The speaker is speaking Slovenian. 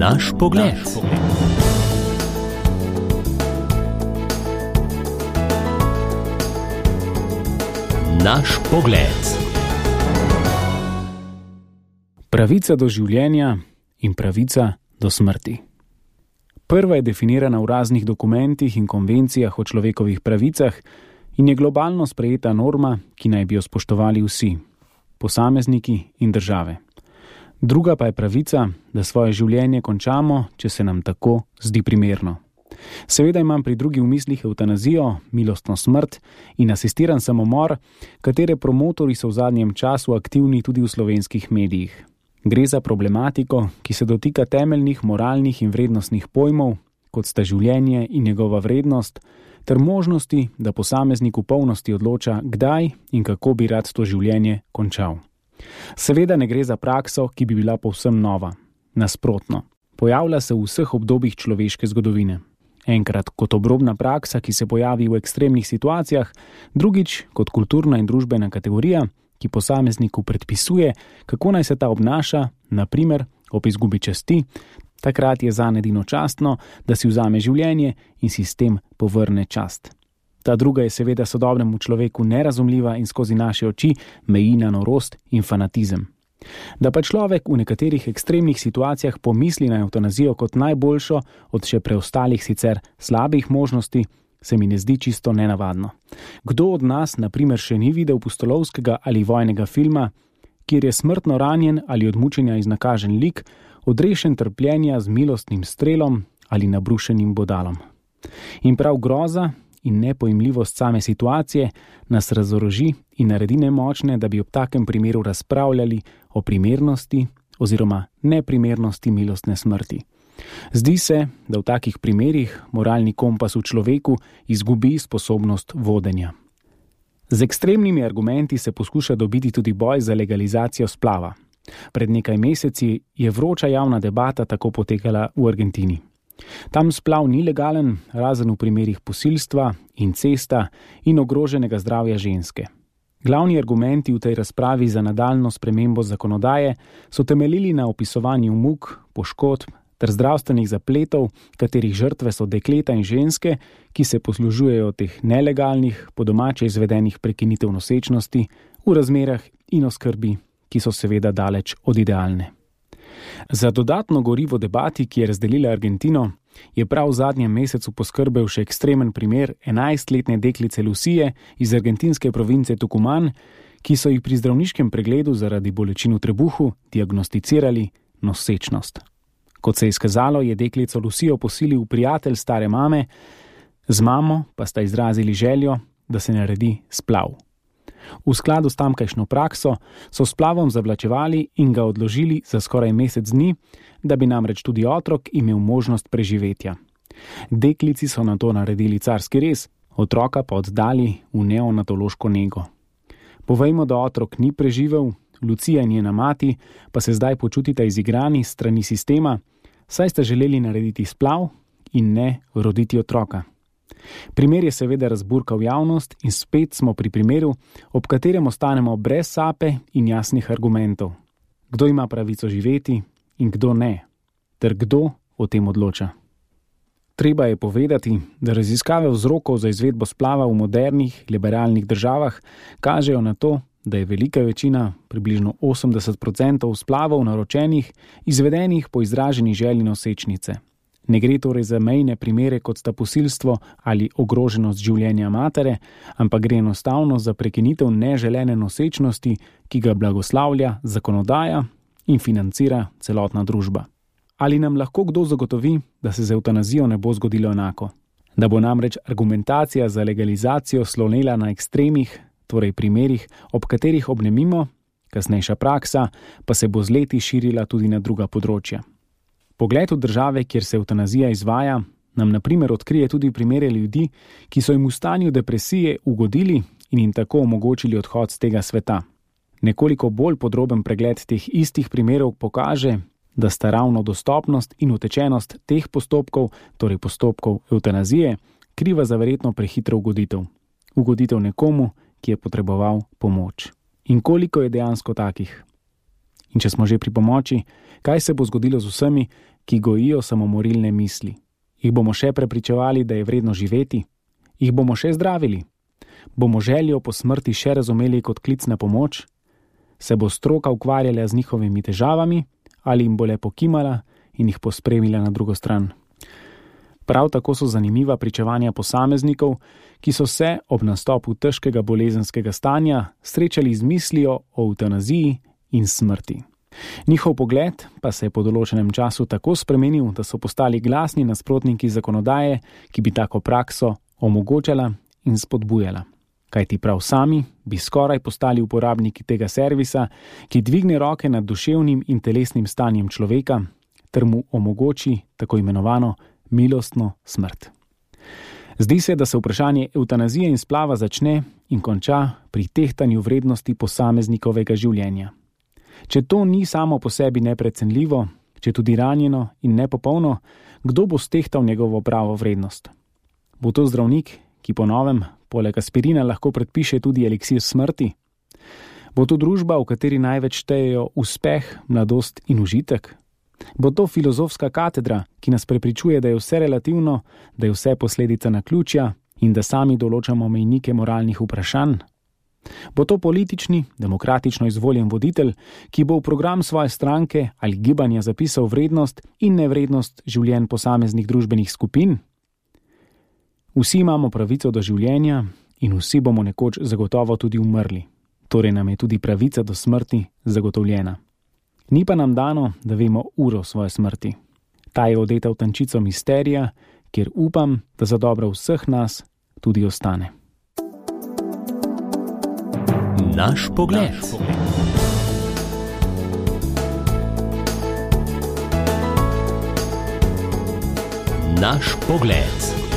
Naš pogled. Naš pogled. Pravica do življenja in pravica do smrti. Prva je definirana v raznih dokumentih in konvencijah o človekovih pravicah in je globalno sprejeta norma, ki naj bi jo spoštovali vsi, posamezniki in države. Druga pa je pravica, da svoje življenje končamo, če se nam tako zdi primerno. Seveda imam pri drugi v mislih evtanazijo, milostno smrt in asistiran samomor, katere promotorji so v zadnjem času aktivni tudi v slovenskih medijih. Gre za problematiko, ki se dotika temeljnih moralnih in vrednostnih pojmov, kot sta življenje in njegova vrednost, ter možnosti, da posameznik v polnosti odloča, kdaj in kako bi rad to življenje končal. Seveda ne gre za prakso, ki bi bila povsem nova. Nasprotno, pojavlja se v vseh obdobjih človeške zgodovine. Enkrat kot obrobna praksa, ki se pojavi v ekstremnih situacijah, drugič kot kulturna in družbena kategorija, ki posamezniku predpisuje, kako naj se ta obnaša, na primer ob izgubi časti, takrat je zanj edino častno, da si vzame življenje in si s tem povrne čast. Ta druga je seveda sodobnemu človeku nerazumljiva in skozi naše oči meji na norost in fanatizem. Da pa človek v nekaterih ekstremnih situacijah pomisli na evtanazijo kot najboljšo od še preostalih sicer slabih možnosti, se mi ne zdi čisto nenavadno. Kdo od nas, na primer, še ni videl pustolovskega ali vojnega filma, kjer je smrtno ranjen ali od mučenja iznakažen lik, odrešen trpljenja z milostnim strelom ali nabrušenim bodalom. In prav groza in nepojmljivost same situacije nas razoroži in naredi nemočne, da bi ob takem primeru razpravljali o primernosti oziroma neprimernosti milostne smrti. Zdi se, da v takih primerih moralni kompas v človeku izgubi sposobnost vodenja. Z ekstremnimi argumenti se poskuša dobiti tudi boj za legalizacijo splava. Pred nekaj meseci je vroča javna debata tako potekala v Argentini. Tam splav ni legalen, razen v primerih posilstva, incesta in ogroženega zdravja ženske. Glavni argumenti v tej razpravi za nadaljnjo spremembo zakonodaje so temeljili na opisovanju muk, poškodb ter zdravstvenih zapletov, katerih žrtve so dekleta in ženske, ki se poslužujejo teh nelegalnih, po domače izvedenih prekinitev nosečnosti v razmerah in oskrbi, ki so seveda daleč od idealne. Za dodatno gorivo debati, ki je razdelila Argentino, je prav v zadnjem mesecu poskrbel še ekstremen primer 11-letne deklice Lucije iz argentinske province Tucumán, ki so jih pri zdravniškem pregledu zaradi bolečin v trebuhu diagnosticirali nosečnost. Kot se je izkazalo, je deklico Lucijo posilil prijatelj stare mame, z mamo pa sta izrazili željo, da se naredi splav. V skladu s tamkajšnjo prakso so splavom zavlačevali in ga odložili za skoraj mesec dni, da bi namreč tudi otrok imel možnost preživetja. Deklici so nato naredili carski rez, otroka pa oddali v neonatološko nego. Povejmo, da otrok ni preživel, Lucija in njena mati pa se zdaj počutita izigrani s strani sistema, saj sta želeli narediti splav in ne roditi otroka. Primer je seveda razburkal javnost in spet smo pri primeru, ob katerem ostanemo brez sape in jasnih argumentov. Kdo ima pravico živeti in kdo ne, ter kdo o tem odloča. Treba je povedati, da raziskave vzrokov za izvedbo splava v modernih, liberalnih državah kažejo na to, da je velika večina, približno 80% splavov naročenih, izvedenih po izraženi želji nosečnice. Ne gre torej za mejne primere, kot sta posilstvo ali ogroženost življenja matere, ampak gre enostavno za prekinitev neželene nosečnosti, ki ga blagoslavlja zakonodaja in financira celotna družba. Ali nam lahko kdo zagotovi, da se z evtanazijo ne bo zgodilo enako? Da bo namreč argumentacija za legalizacijo slonela na ekstremih, torej primerih, ob katerih obnemimo, kasnejša praksa pa se bo z leti širila tudi na druga področja. Pogled v države, kjer se evtanazija izvaja, nam na primer odkrije tudi primere ljudi, ki so jim v stanju depresije ugodili in jim tako omogočili odhod z tega sveta. Nekoliko bolj podroben pregled teh istih primerov pokaže, da sta ravno dostopnost in utečenost teh postopkov, torej postopkov evtanazije, kriva za verjetno prehitro ugoditev. Ugoditev nekomu, ki je potreboval pomoč. In koliko je dejansko takih? In če smo že pri pomoči, kaj se bo zgodilo z vsemi, ki gojijo samomorilne misli. Jih bomo še prepričevali, da je vredno živeti? Jih bomo še zdravili? Bomo željo po smrti še razumeli kot klic na pomoč? Se bo stroka ukvarjala z njihovimi težavami ali jim bo le pokimala in jih pospremila na drugo stran? Prav tako so zanimiva pričevanja posameznikov, ki so se ob nastopu težkega bolezenskega stanja srečali z mislijo o evtanaziji in smrti. Njihov pogled pa se je po določenem času tako spremenil, da so postali glasni nasprotniki zakonodaje, ki bi tako prakso omogočala in spodbujala. Kajti prav sami bi skoraj postali uporabniki tega servisa, ki dvigne roke nad duševnim in telesnim stanjem človeka ter mu omogoči tako imenovano milostno smrt. Zdi se, da se vprašanje evtanazije in splava začne in konča pri tehtanju vrednosti posameznikovega življenja. Če to ni samo po sebi neprecenljivo, če tudi ranjeno in nepopolno, kdo bo stehtal njegovo pravo vrednost? Bo to zdravnik, ki po novem poleg aspirina lahko predpiše tudi eliksir smrti? Bo to družba, v kateri največ štejejo uspeh, mladost in užitek? Bo to filozofska katedra, ki nas prepričuje, da je vse relativno, da je vse posledica naključja in da sami določamo mejnike moralnih vprašanj? Bo to politični, demokratično izvoljen voditelj, ki bo v program svoje stranke ali gibanja zapisal vrednost in nevrednost življenj posameznih družbenih skupin? Vsi imamo pravico do življenja in vsi bomo nekoč zagotovo tudi umrli. Torej nam je tudi pravica do smrti zagotovljena. Ni pa nam dano, da vemo uro svoje smrti. Ta je odeta v tančico misterija, kjer upam, da za dobro vseh nas tudi ostane. Naš pogled. Naš pogled.